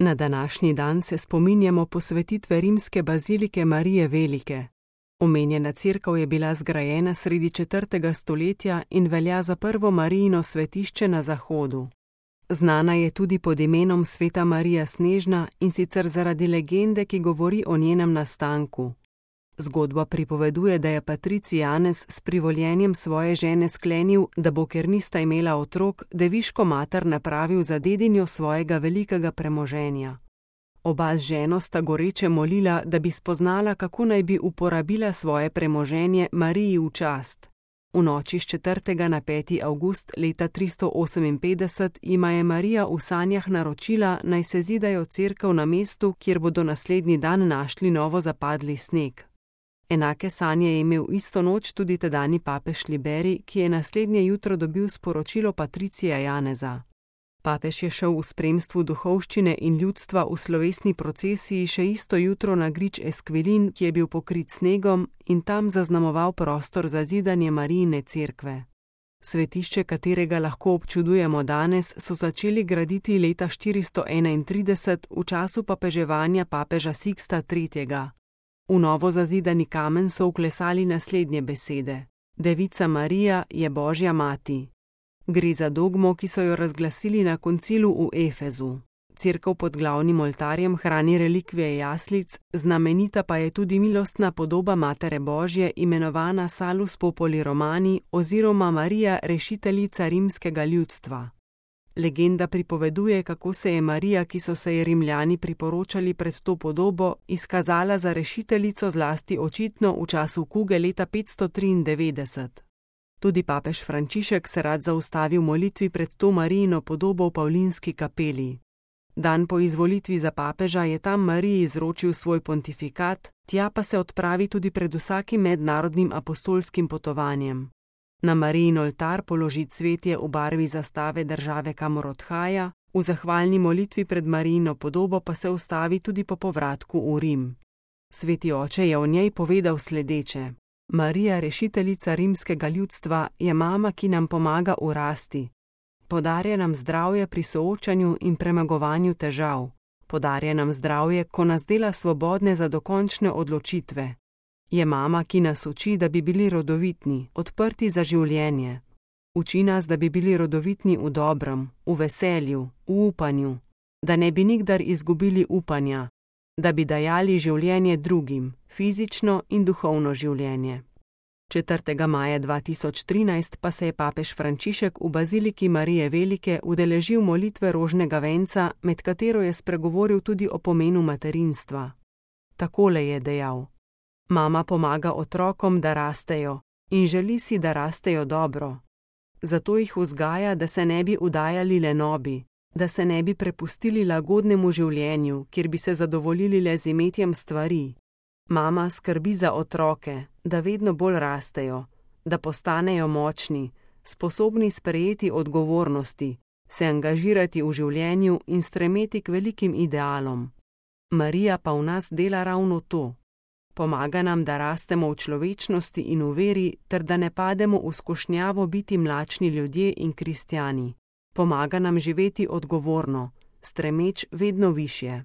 Na današnji dan se spominjamo posvetitve rimske bazilike Marije Velike. Omenjena cerkev je bila zgrajena sredi 4. stoletja in velja za prvo Marijino svetišče na Zahodu. Znana je tudi pod imenom Sveta Marija Snežna, in sicer zaradi legende, ki govori o njenem nastanku. Zgodba pripoveduje, da je patricij Janez s privoljenjem svoje žene sklenil, da bo, ker nista imela otrok, deviško mater napravil za dedinjo svojega velikega premoženja. Oba z ženo sta goreče molila, da bi spoznala, kako naj bi uporabila svoje premoženje Mariji v čast. V noči s 4. na 5. avgust leta 358 jima je Marija v sanjah naročila, naj se zidajo cerkev na mestu, kjer bodo naslednji dan našli novo zapadli sneg. Enake sanje je imel isto noč tudi tedajni papež Liberij, ki je naslednje jutro dobil sporočilo patricija Janeza. Papež je šel v spremstvu duhovščine in ljudstva v slovesni procesiji še isto jutro na grič Esquilin, ki je bil pokrit snegom, in tam zaznamoval prostor za zidanje Marijine cerkve. Svetišče, katerega lahko občudujemo danes, so začeli graditi leta 431 v času papeževanja papeža Siksta III. V novo zazidani kamen so vklesali naslednje besede: Devica Marija je Božja mati. Gre za dogmo, ki so jo razglasili na koncilu v Efezu. Cerkev pod glavnim oltarjem hrani relikvije jaslic, znamenita pa je tudi milostna podoba Matere Božje, imenovana Salus Populi Romani oziroma Marija rešiteljica rimskega ljudstva. Legenda pripoveduje, kako se je Marija, ki so se ji Rimljani priporočali pred to podobo, izkazala za rešiteljico zlasti očitno v času kuge leta 593. Tudi papež Frančišek se rad zaustavi v molitvi pred to Marijino podobo v Pavlinski kapeli. Dan po izvolitvi za papeža je tam Mariji izročil svoj pontifikat, tja pa se odpravi tudi pred vsakim mednarodnim apostolskim potovanjem. Na Marijin oltar položi cvetje v barvi zastave države, kamor odhaja, v zahvalni molitvi pred Marijino podobo pa se ustavi tudi po povratku v Rim. Sveti oče je o njej povedal sledeče: Marija, rešiteljica rimskega ljudstva, je mama, ki nam pomaga v rasti. Podarja nam zdravje pri soočanju in premagovanju težav. Podarja nam zdravje, ko nas dela svobodne za dokončne odločitve. Je mama, ki nas uči, da bi bili rodovitni, odprti za življenje. Uči nas, da bi bili rodovitni v dobrem, v veselju, v upanju, da ne bi nikdar izgubili upanja, da bi dajali življenje drugim, fizično in duhovno življenje. 4. maja 2013 pa se je papež Frančišek v baziliki Marije Velike udeležil molitve rožnega venca, med katero je spregovoril tudi o pomenu materinstva. Takole je dejal: Mama pomaga otrokom, da rastejo, in želi si, da rastejo dobro. Zato jih vzgaja, da se ne bi udajali lenobi, da se ne bi prepustili lagodnemu življenju, kjer bi se zadovoljili le z imetjem stvari. Mama skrbi za otroke, da vedno bolj rastejo, da postanejo močni, sposobni sprejeti odgovornosti, se angažirati v življenju in stremeti k velikim idealom. Marija pa v nas dela ravno to. Pomaga nam, da rastemo v človečnosti in v veri, ter da ne pademo v skušnjavo biti mlačni ljudje in kristjani. Pomaga nam živeti odgovorno, stremeč vedno višje.